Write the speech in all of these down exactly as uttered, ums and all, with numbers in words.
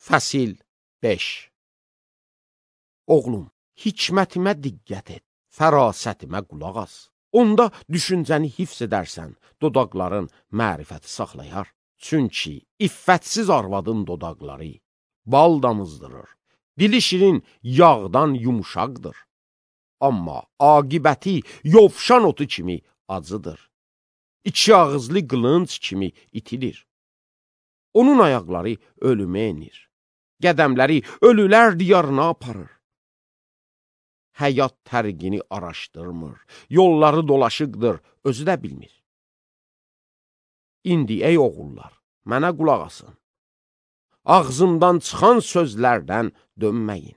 Fəsil beş. Oğlum, hikmətimə diqqət et, fərasətimə qulaq as. Onda düşüncəni hifz edərsən, dodaqların mərifəti saxlayar. Çünki iffətsiz arvadın dodaqları bal damızdırır, dili şirin yağdan yumuşaqdır. Amma aqibəti yovşan otu kimi acıdır. İki ağızlı qılınc kimi itilir. Onun ayaqları ölümə enir. Qədəmləri ölülər diyarına aparır. Həyat tərqini araşdırmır, yolları dolaşıqdır, özü də bilmir. İndi ey oğullar, mənə qulaq asın. Ağzımdan çıxan sözlərdən dönməyin.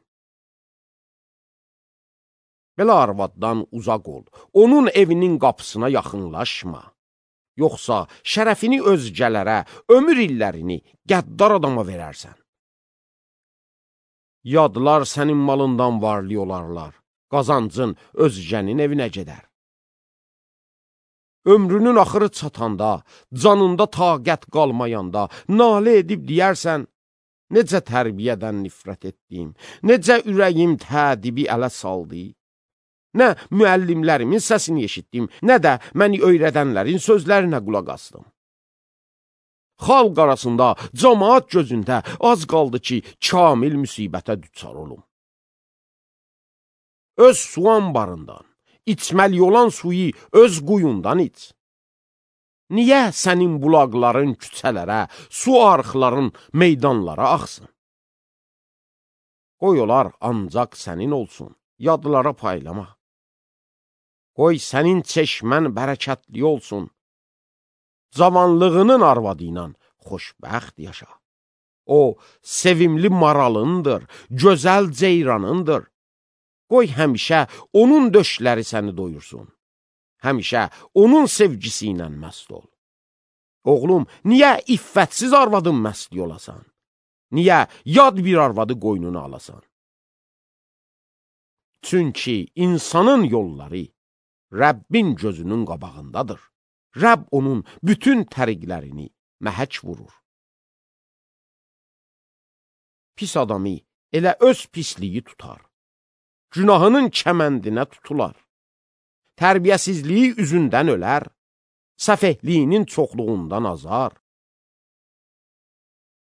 Belə arvaddan uzaq ol, onun evinin qapısına yaxınlaşma. Yoxsa şərəfini özgələrə, ömür illərini qəddar adama verərsən. Yadlar sənin malından varlı olarlar, qazancın özgənin evinə gedər. Ömrünün axırı çatanda, canında taqət qalmayanda, nalə edib deyərsən, necə tərbiyədən nifrət etdim, necə ürəyim tədibi ələ saldı. Nə müəllimlərimin səsini eşitdim, nə də məni öyrədənlərin sözlərinə qulaq asdım. Xalq arasında, cəmaat gözündə az qaldı ki, kamil müsibətə düçar olum. Öz su anbarından, içməli olan suyu öz quyundan iç. Niyə sənin bulaqların küçələrə, su arxların meydanlara axsın? Qoy olar ancaq sənin olsun, yadlara paylama. Qoy sənin çeşmən bərəkətli olsun. Cavanlığının arvadı ilə xoşbəxt yaşa. O, sevimli maralındır, gözəl ceyranındır. Qoy həmişə onun döşləri səni doyursun. Həmişə onun sevgisi ilə məst ol. Oğlum, niyə iffətsiz arvadın məstli olasan? Niyə yad bir arvadı qoynuna alasan? Çünki insanın yolları Rəbbin gözünün qabağındadır. Rəbb onun bütün təriqlərini məhək vurur. Pis adamı elə öz pisliyi tutar. Günahının kəməndinə tutular. Tərbiyəsizliyi üzündən ölər. Səfehliyinin çoxluğundan azar.